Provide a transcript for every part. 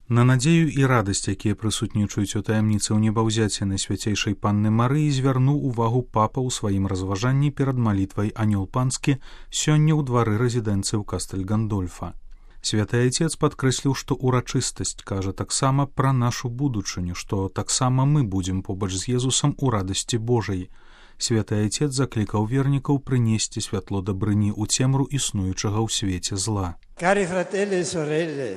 На надзею і радасць, якія прысутнічаюць у таямніцы ў небаўзяцці Найсвяцейшай Панны Марыі, звярнуў увагу папа ў сваім разважанні перад малітвай Анёл Панскі сёння ў двары рэзідэнцыі ў Кастэль-Гандольфа. Святы Айцец падкрэсліў, што ўрачыстасць кажа таксама пра нашу будучыню, што таксама мы будзем побач з Езусам у радасці Божай. Святы Айцец заклікаў вернікаў прынесці святло дабрыні ў цемру існуючага ў свеце зла. Cari fratelli e sorelle,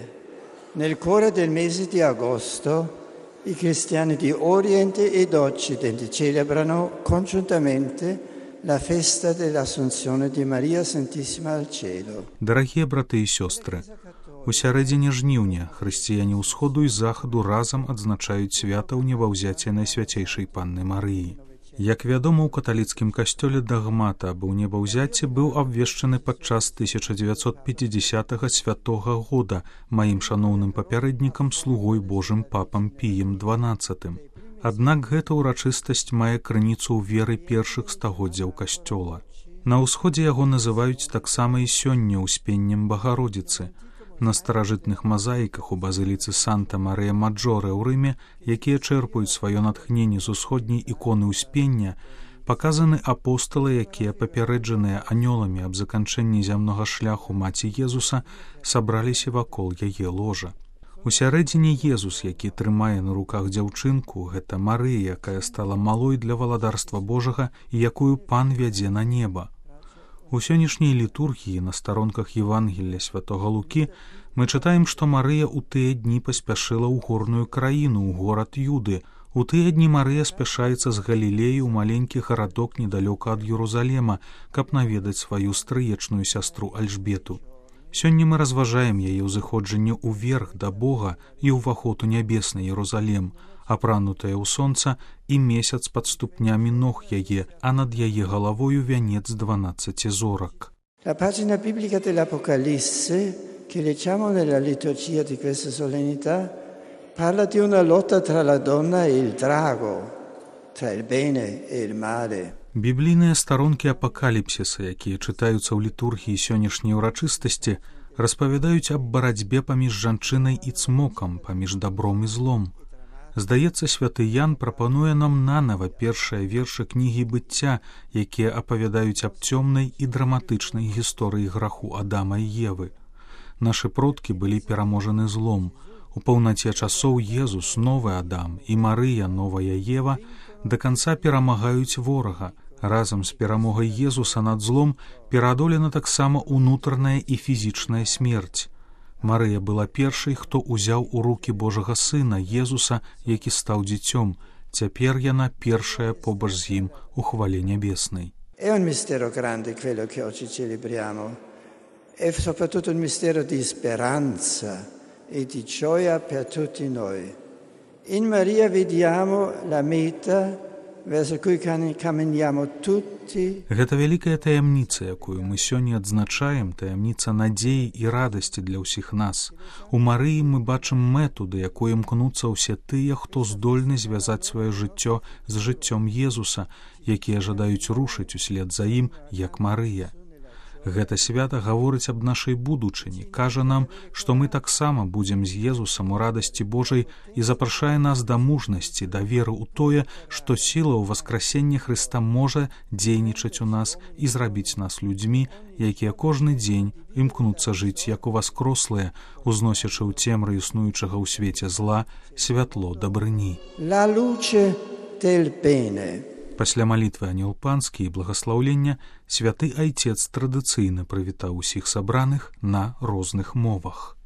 nel cuore del mese di agosto i cristiani di Oriente ed Occidente celebrano congiuntamente la festa dell'Assunzione di Maria Santissima al cielo. Дарагія браты і сёстры, у сярэдзіне жніўня хрысціяне ўсходу і захаду разам адзначаюць свята ў небаўзяцці Найсвяцейшай Панны Марыі. Як вядома, у каталіцкім касцёле дагмата аб небаўзяцці быў абвешчаны падчас 1950 святога года маім шаноўным папярэднікам, слугой Божым папам Піем XII. Аднак гэта ўрачыстасць мае крыніцу ў веры першых стагоддзяў касцёла. На ўсходзе яго называюць таксама і сёння ўспеннем Багародзіцы. На старажытных мазаіках у базыліцы Санта-Марыя-Маджоре ў Рыме, якія чэрпаюць сваё натхненне з усходняй іконы ўспення, паказаны апосталы, якія папярэджаныя анёламі аб заканчэнні зямнога шляху маці Езуса, сабраліся вакол яе ложа. У сярэдзіне Езус, які трымае на руках дзяўчынку, гэта Марыя, якая стала малой для валадарства Божага і якую Пан вядзе на неба. У сённяшняй літургіі на старонках Евангелля святога Лукі мы чытаем, што Марыя ў тыя дні паспяшыла ў горную краіну, ў горад Юды. У тыя дні Марыя спяшаецца з Галілеі ў маленькі гарадок недалёка ад Єрусалема, каб наведаць сваю стрыечную сястру Альжбету. Сёння мы разважаем яе ўзыходжанне ўверх да Бога і ўваход у нябесны Єрусалем, апранутая ў сонца і месяц пад ступнямі ног яе, а над яе галавою вянец 12 зорак. La pagina biblica dell'Apocalisse che leggiamo nella liturgia di questa solennità parla di una lotta tra la donna e il drago, tra il bene e il male. Біблійныя старонкі апакаліпсіса, якія чытаюцца ў літургіі сённяшняй урачыстасці, распавядаюць аб барацьбе паміж жанчынай і цмокам, паміж дабром і злом. Здаецца, святы Ян прапануе нам нанава першыя вершы кнігі быцця, якія апавядаюць аб цёмнай і драматычнай гісторыі граху Адама і Евы. Нашы продкі былі пераможаны злом. У паўнаце часоў Езус, новы Адам, і Марыя, новая Ева, да канца перамагаюць ворага. Разам з перамогай Езуса над злом пераадолена таксама унутраная і фізічная смерць. Марыя была першай, хто ўзяў у рукі Божага Сына, Езуса, які стаў дзіцём. Цяпер яна першая побач з ім у хвале нябеснай. È un mistero grande quello che oggi celebriamo. È soprattutto un mistero di speranza e di gioia per tutti noi. In Maria vediamo la meta verso cui camminiamo tutti. Гэта вялікая таямніца, якую мы сёння адзначаем, таямніца надзеі і радасці для ўсіх нас. У Марыі мы бачым мэту, да якой імкнуцца ўсе тыя, хто здольны звязаць сваё жыццё з жыццём Езуса, якія жадаюць рушыць услед за ім, як Марыя. Гэта свята гаворыць аб нашай будучыні, кажа нам, што мы таксама будзем з Езусам у радасці Божай і запрашае нас да мужнасці, да веры ў тое, што сіла ў васкрасення Хрыста можа дзейнічаць у нас і зрабіць нас людзьмі, якія кожны дзень імкнуцца жыць як уваскрослыя, узносячы ў цемры існуючага ў свеце зла святло дабрыні. La luce del bene. Пасля малітвы Анёл Панскі і благаслаўлення святы Айцец традыцыйна прывітаў усіх сабраных на розных мовах.